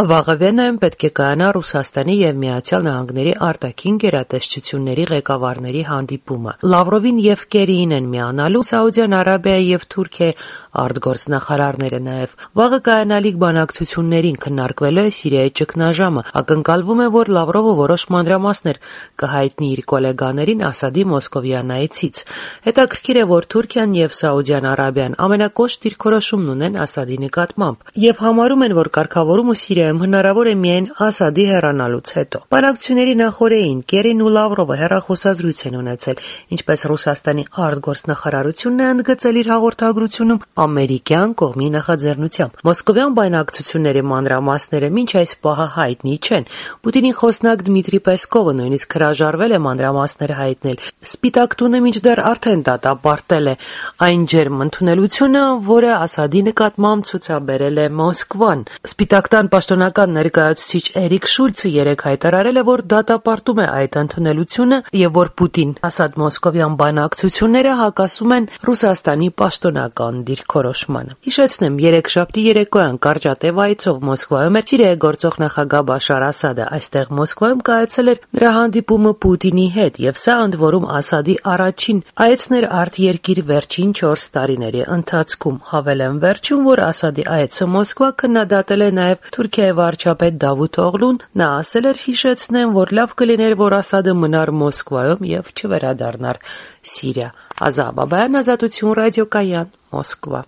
Վաղը Վենայում պետք է կայանա Ռուսաստանի եւ Միացյալ Նահանգների արտաքին գերատեսչությունների ղեկավարների հանդիպումը։ Լավրովին եւ Կերիին են միանալու Սաուդյան Արաբիայի եւ Թուրքիայի արտգործնախարարները նաեւ։ Վաղը կայանալիք բանակցություններին քննարկվելու է Սիրիայի ճգնաժամը։ Ակնկալվում է, որ Լավրովը որոշ մանրամասներ կհայտնի իր գոլեգաներին Ասադի մոսկովյան այցից։ Հետաքրքիր է, որ Թուրքիան եւ Սաուդյան Արաբիան ամենակոշտ դիրքորոշումն ունեն Ասադի նկատմամբ եւ համարում են, որ կարգավորումը Սիրիայում հնարավոր է միայն Ասադի հեռանալուց հետո։ Բանակցությունների նախօրեին Կերին ու Լավրովը հեռախոսազրույց են ունեցել, ինչպես Ռուսաստանի արտգործնախարարությունն է ընդգծել իր հաղորդագրությունում ամերիկյան կողմի նախաձեռնությամբ։ Մոսկովյան բանակցությունների մանրամասները մինչ այս պահը հայտնի չեն։ Պուտինի խոսնակ Դմիտրի Պեսկովը նույնիսկ հրաժարվել է մանրամասներ հայտնել։ Սպիտակ տունը մինչդեռ արդեն դատապարտել է այն ջերմ ընդունելությունը, որը Ասադի նկատմամբ ցուցաբերել է Մոսկվան։ Սպիտակ տան պաշտոնական ներկայացուցիչ Էրիկ Շուլցը երեկ հայտարարել է, որ դատապարտում է այդ ընդունելությունը եւ որ Պուտին-Ասադ-Մոսկովյան բանակցությունները հակասում են Ռուսաստանի պաշտոնական դիրքորոշմանը։ Հիշեցնեմ, երեքշաբթի երեկոյան կարճատև այցով Մոսկվայում էր Սիրիայի գործող նախագահ Բաշար Ասադը։ Այստեղ Մոսկվայում կայացել էր նրա հանդիպումը Պուտինի հետ եւ սա ընդ որում Ասադի առաջին այցն էր արտերկիր վերջին 4 տարիների ընթացքում։ Հավելեմ վերջում, որ Ասադի այցը Մոսկվա քննադատել է նաեւ Թուրքիայի վարչապետ Դավութ Օղլուն։ Նա ասել էր, հիշեցնեմ, որ լավ կլիներ, որ Ասադը մնար Մոսկվայում եւ չվերադառնար Սիրիա։ Ազատ Բաբայան, Ազատություն ռադիոկայան, Մոսկվա։